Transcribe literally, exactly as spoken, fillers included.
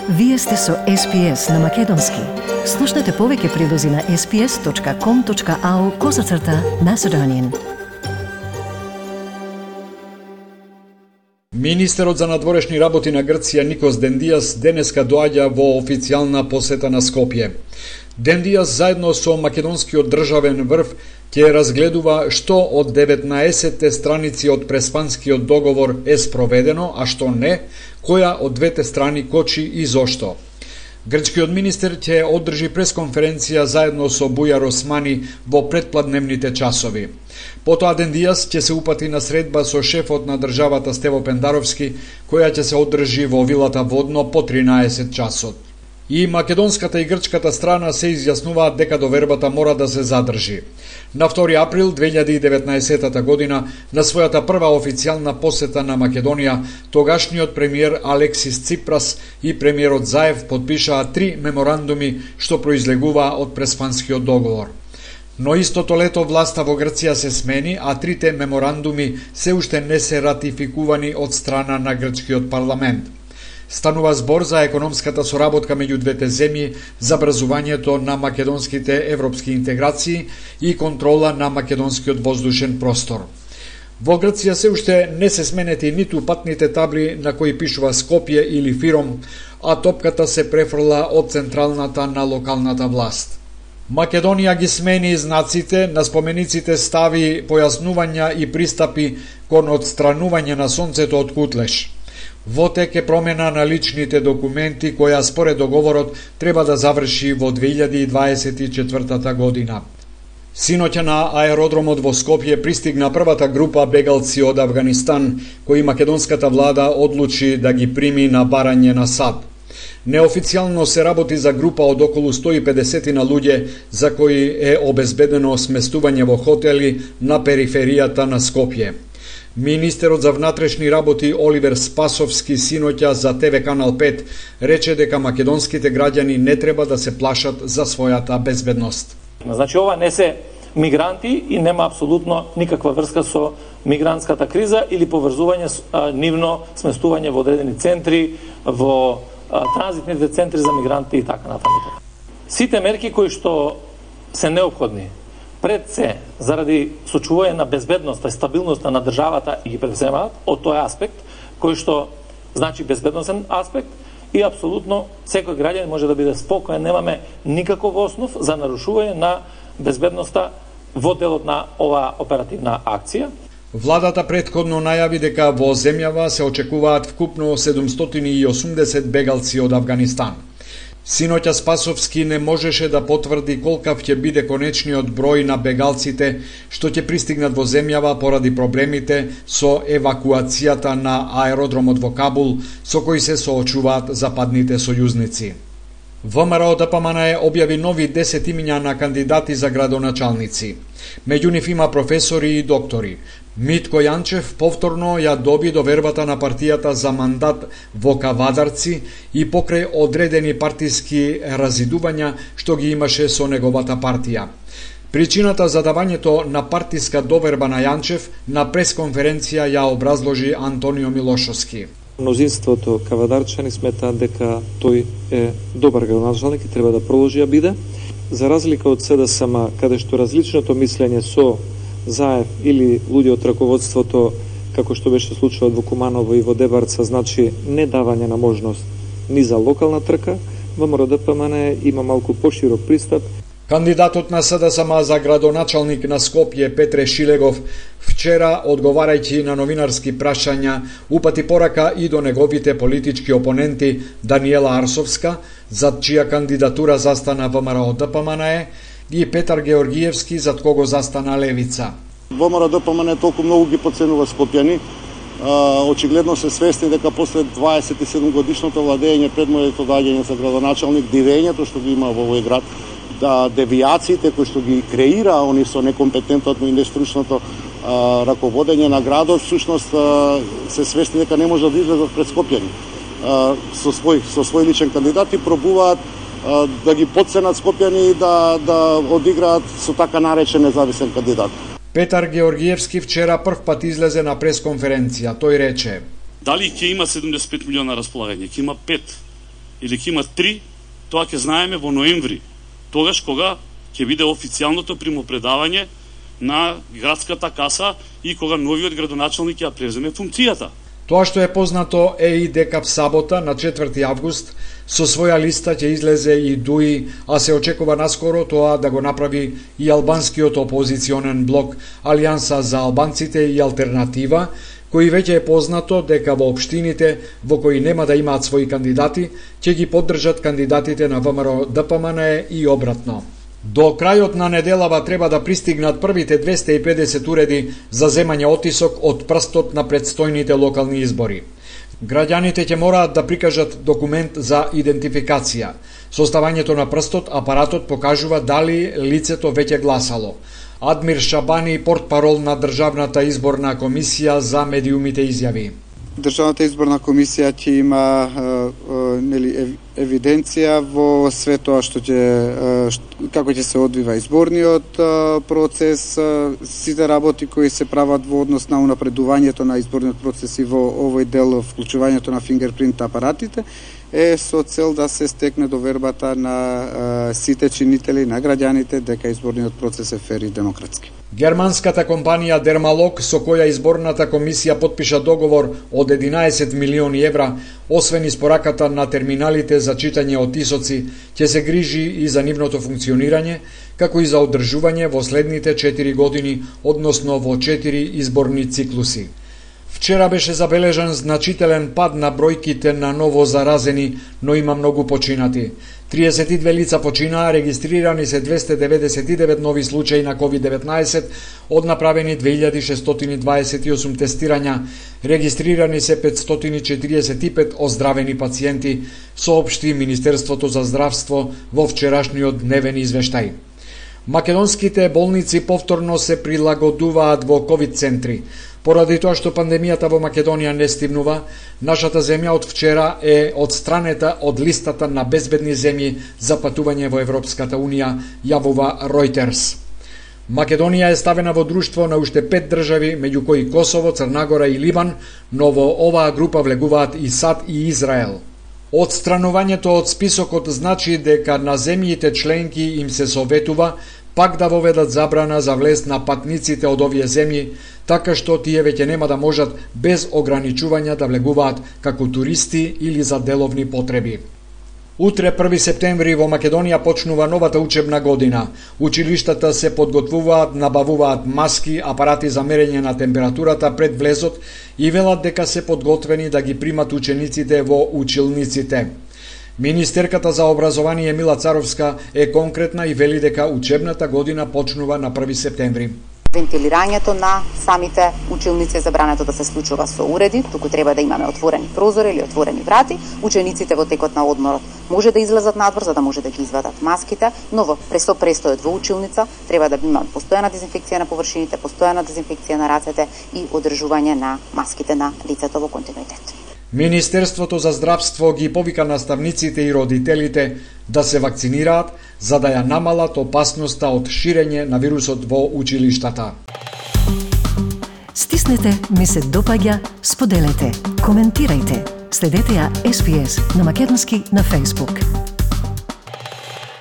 Вие сте со Ес Пи Ес на Македонски. Слушнете повеќе прилози на ес пи ес точка ком точка ау козацрта Macedonian. Министерот за надворешни работи на Грција Никос Дендијас денеска доаѓа во официјална посета на Скопје. Дендијас заедно со македонскиот државен врв ќе разгледува што од деветнаесетте страници од преспанскиот договор е спроведено, а што не, која од двете страни кочи и зошто. Грчкиот министер ќе одржи пресконференција заедно со Бујар Османи во предпладневните часови. Потоа Дендијас ќе се упати на средба со шефот на државата Стево Пендаровски, која ќе се одржи во вилата Водно по тринаесет часот. И македонската и грчката страна се изјаснуваат дека довербата мора да се задржи. На втори април две илјади и деветнаесета година, на својата прва официјална посета на Македонија, тогашниот премиер Алексис Ципрас и премиерот Заев подпишаа три меморандуми што произлегуваа од преспанскиот договор. Но истото лето власта во Грција се смени, а трите меморандуми се уште не се ратификувани од страна на грчкиот парламент. Станува збор за економската соработка меѓу двете земји, забрзувањето на македонските европски интеграции и контрола на македонскиот воздушен простор. Во Грција се уште не се сменети ниту патните табли на кои пишува Скопје или Фиром, а топката се префрла од централната на локалната власт. Македонија ги смени знаците, на спомениците стави појаснувања и пристапи кон одстранување на сонцето од Кутлеш. Во тек е промена на личните документи која според договорот треба да заврши во две илјади и дваесет и четвртата година. Синоќа на аеродромот во Скопје пристигна првата група бегалци од Авганистан, кои македонската влада одлучи да ги прими на барање на САД. Неофицијално се работи за група од околу сто и педесет на луѓе за кои е обезбедено сместување во хотели на периферијата на Скопје. Министерот за внатрешни работи Оливер Спасовски синоќа за Те Ве Канал пет рече дека македонските граѓани не треба да се плашат за својата безбедност. Значи ова не се мигранти и нема апсолутно никаква врска со мигрантската криза или поврзување а, нивно сместување во одредени центри, во а, транзитните центри за мигранти и така натаму. Сите мерки кои што се неопходни пред се, заради сочување на безбедноста и стабилноста на државата и ги превземаат од тој аспект, кој што значи безбедносен аспект и апсолутно секој граѓанин може да биде спокоен, немаме никаков основ за нарушување на безбедноста во делот на оваа оперативна акција. Владата претходно најави дека во земјава се очекуваат вкупно седумстотини и осумдесет бегалци од Авганистан. Синоќа Спасовски не можеше да потврди колкав ќе биде конечниот број на бегалците што ќе пристигнат во земјава поради проблемите со евакуацијата на аеродромот во Кабул, со кои се соочуваат западните сојузници. Вэ Ем Ар О Д П М Н Е објави нови десет имиња на кандидати за градоначалници. Меѓу нив има професори и доктори. Митко Јанчев повторно ја доби довербата на партијата за мандат во Кавадарци и покрај одредени партиски разидувања што ги имаше со неговата партија. Причината за давањето на партиска доверба на Јанчев на пресконференција ја образложи Антонио Милошовски. Мнозинството кавадарчани сметаат дека тој е добар градоначалник и треба да продолжи да биде. За разлика од Се Де Ес Ем, каде што различното мислење со Заев или луѓе од раководството, како што беше случајот во Куманово и во Дебарца, значи не давање на можност ни за локална трка, Вэ Ем Ар О Д П М Н Е има малку поширок пристап. Кандидатот на Се Де Ес Ем за градоначалник на Скопје Петре Шилегов вчера, одговарајќи на новинарски прашања, упати порака и до неговите политички опоненти Даниела Арсовска, зад чија кандидатура застана Вэ Ем Ар О Д П М Н Е, и Петар Георгиевски, зад кого застана Левица. Вэ Ем Ар О Д П М Н Е толку многу ги подценува скопјани. Очигледно се свесни дека после дваесет и седум годишното владење пред моето доаѓање за градоначалник, дивењето што ги има во овој град, да девијациите кои што ги креира они со некомпетентното и нестручното а, раководење на градот, всушност а, се свесни дека не може да излезат пред скопјани. А, со свој со свој личен кандидат и пробуваат а, да ги подценат скопјани и да да одиграат со така наречен независен кандидат. Петар Георгиевски вчера прв пат излезе на пресконференција. Тој рече: дали ќе има седумдесет и пет милиона располагање, ќе има пет или ќе има три, тоа ќе знаеме во ноември, тогаш кога ќе биде официјалното примопредавање на градската каса и кога новиот градоначалник ќе преземе функцијата. Тоа што е познато е и дека в сабота на четврти август со своја листа ќе излезе и Дуи, а се очекува наскоро тоа да го направи и албанскиот опозиционен блок Алијанса за албанците и Алтернатива, кои веќе е познато дека во општините во кои нема да имаат своји кандидати, ќе ги поддржат кандидатите на ВМРО Д П М Н Е и обратно. До крајот на неделава треба да пристигнат првите двесте и педесет уреди за земање отисок од прстот на предстојните локални избори. Граѓаните ќе мораат да прикажат документ за идентификација. Составањето на прстот апаратот покажува дали лицето веќе гласало. Адмир Шабани, портпарол на Државната изборна комисија за медиумите, изјави: Државната изборна комисија ќе има е, е, нели, евиденција во све тоа што ќе е, како ќе се одвива изборниот е, процес, е, сите работи кои се прават во однос на унапредувањето на изборниот процес и во овој дел вклучувањето на фингерпринт апаратите е со цел да се стекне довербата на е, сите чинители, на граѓаните, дека изборниот процес е фер и демократски. Германската компанија Дермалог, со која изборната комисија подпиша договор од единаесет милиони евра, освен испораката на терминалите за читање отисоци, ќе се грижи и за нивното функционирање, како и за одржување во следните четири години, односно во четири изборни циклуси. Вчера беше забележан значителен пад на бројките на ново заразени, но има многу починати. триесет и две лица починаа, регистрирани се двесте деветдесет и девет нови случаи на ковид деветнаесет, од направени две илјади шестстотини дваесет и осум тестирања, регистрирани се петстотини четириесет и пет оздравени пациенти, соопшти Министерството за здравство во вчерашниот дневен извештај. Македонските болници повторно се прилагодуваат во ковид центри. Поради тоа што пандемијата во Македонија не стивнува, нашата земја од вчера е одстранета од листата на безбедни земји за патување во Европската Унија, јавува Reuters. Македонија е ставена во друштво на уште пет држави, меѓу кои Косово, Црнагора и Ливан, но во оваа група влегуваат и САД и Израел. Одстранувањето од списокот значи дека на земјите членки им се советува пак да воведат забрана за влез на патниците од овие земји, така што тие веќе нема да можат без ограничувања да влегуваат како туристи или за деловни потреби. Утре, први септември, во Македонија почнува новата учебна година. Училиштата се подготвуваат, набавуваат маски, апарати за мерење на температурата пред влезот и велат дека се подготвени да ги примат учениците во училниците. Министерката за образование Мила Царовска е конкретна и вели дека учебната година почнува на први септември. Вентилирањето на самите училници е забрането да се случува со уреди, туку треба да имаме отворени прозори или отворени врати. Учениците во текот на одморот може да излезат надвор за да може да ги извадат маските, но во престо престојот во училница треба да имаме постојана дезинфекција на површините, постојана дезинфекција на рацете и одржување на маските на лицето во континуитет. Министерството за здравство ги повика наставниците и родителите да се вакцинираат за да ја намалат опасноста од ширење на вирусот во училиштата. Стиснете, ми се допаѓа, споделете, коментирајте. Следете ја Ес Би Ес на македонски на Facebook.